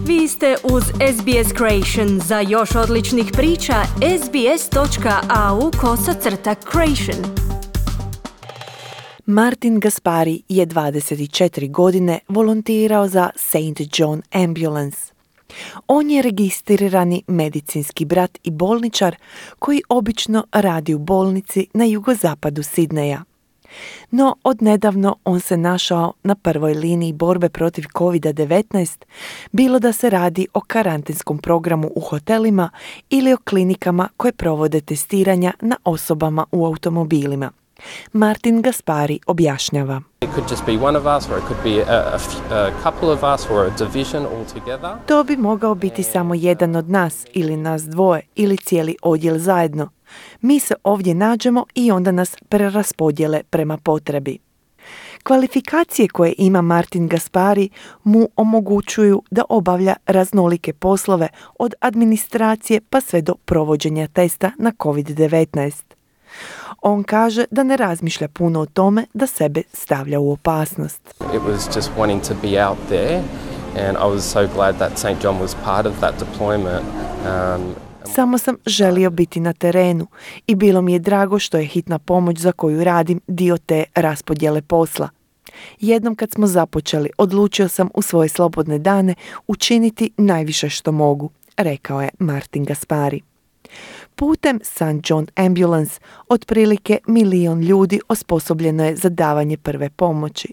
Vi ste uz SBS Creation. Za još odličnih priča, sbs.au/creation. Martin Gaspari je 24 godine volontirao za St. John Ambulance. On je registrirani medicinski brat i bolničar koji obično radi u bolnici na jugozapadu Sidneja. No, odnedavno on se našao na prvoj liniji borbe protiv COVID-19, bilo da se radi o karantenskom programu u hotelima ili o klinikama koje provode testiranja na osobama u automobilima. Martin Gaspari objašnjava. To bi mogao biti samo jedan od nas ili nas dvoje ili cijeli odjel zajedno. Mi se ovdje nađemo i onda nas preraspodjele prema potrebi. Kvalifikacije koje ima Martin Gaspari mu omogućuju da obavlja raznolike poslove od administracije pa sve do provođenja testa na COVID-19. On kaže da ne razmišlja puno o tome da sebe stavlja u opasnost. It was just wanting to be out there and I was so glad that St. John was part of that deployment. Samo sam želio biti na terenu i bilo mi je drago što je hitna pomoć za koju radim dio te raspodjele posla. Jednom kad smo započeli, odlučio sam u svoje slobodne dane učiniti najviše što mogu, rekao je Martin Gaspari. Putem St. John Ambulance otprilike 1 milion ljudi osposobljeno je za davanje prve pomoći,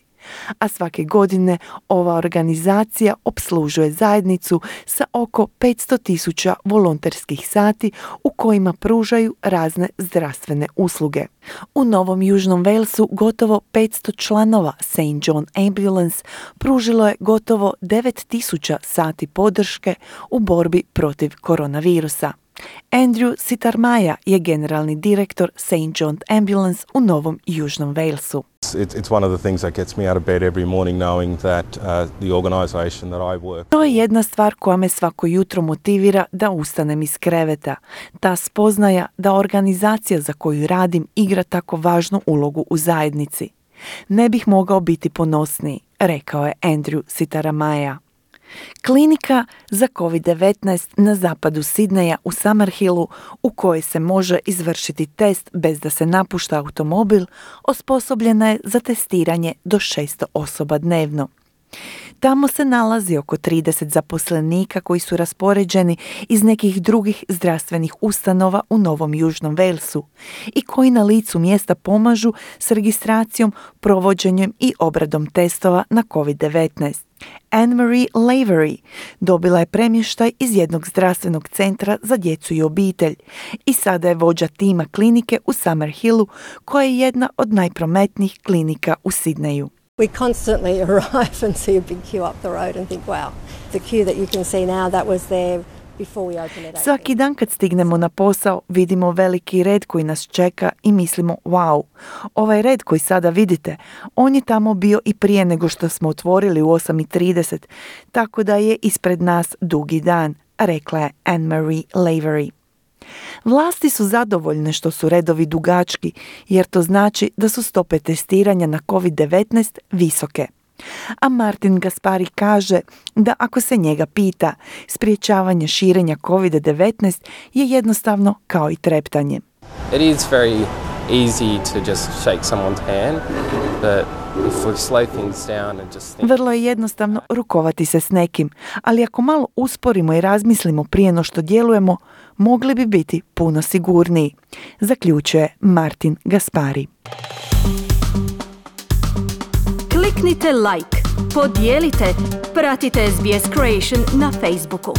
a svake godine ova organizacija opslužuje zajednicu sa oko 500,000 volonterskih sati u kojima pružaju razne zdravstvene usluge. U Novom Južnom Walesu gotovo 500 članova St. John Ambulance pružilo je gotovo 9,000 sati podrške u borbi protiv koronavirusa. Andrew Sitarmaja je generalni direktor St. John Ambulance u Novom Južnom Walesu. It's one of the things that gets me out of bed every morning knowing that the organization that I work. To je jedna stvar koja me svako jutro motivira da ustanem iz kreveta. Ta spoznaja da organizacija za koju radim igra tako važnu ulogu u zajednici. Ne bih mogao biti ponosniji, rekao je Andrew Sitarmaja. Klinika za COVID-19 na zapadu Sidneja u Summerhillu, u kojoj se može izvršiti test bez da se napušta automobil, osposobljena je za testiranje do 600 osoba dnevno. Tamo se nalazi oko 30 zaposlenika koji su raspoređeni iz nekih drugih zdravstvenih ustanova u Novom Južnom Walesu i koji na licu mjesta pomažu s registracijom, provođenjem i obradom testova na COVID-19. Anne-Marie Lavery dobila je premještaj iz jednog zdravstvenog centra za djecu i obitelj i sada je vođa tima klinike u Summerhillu, koja je jedna od najprometnijih klinika u Sidneju. We constantly arrive and see a big queue up the road and think, wow, the queue that you can see now, that was there before we opened it. Svaki dan kad stignemo na posao, vidimo veliki red koji nas čeka i mislimo, wow, ovaj red koji sada vidite, on je tamo bio i prije nego što smo otvorili u 8:30, tako da je ispred nas dugi dan, rekla je Anne-Marie Lavery. Vlasti su zadovoljne što su redovi dugački, jer to znači da su stope testiranja na COVID-19 visoke. A Martin Gaspari kaže da ako se njega pita, sprječavanje širenja COVID-19 je jednostavno kao i treptanje. It is very easy to just shake someone's hand, but if we slow things down and just think... Vrlo je jednostavno rukovati se s nekim, ali ako malo usporimo i razmislimo prije no što djelujemo, mogli bi biti puno sigurniji, zaključuje Martin Gaspari. Kliknite like, podijelite, pratite SBS Creation na Facebooku.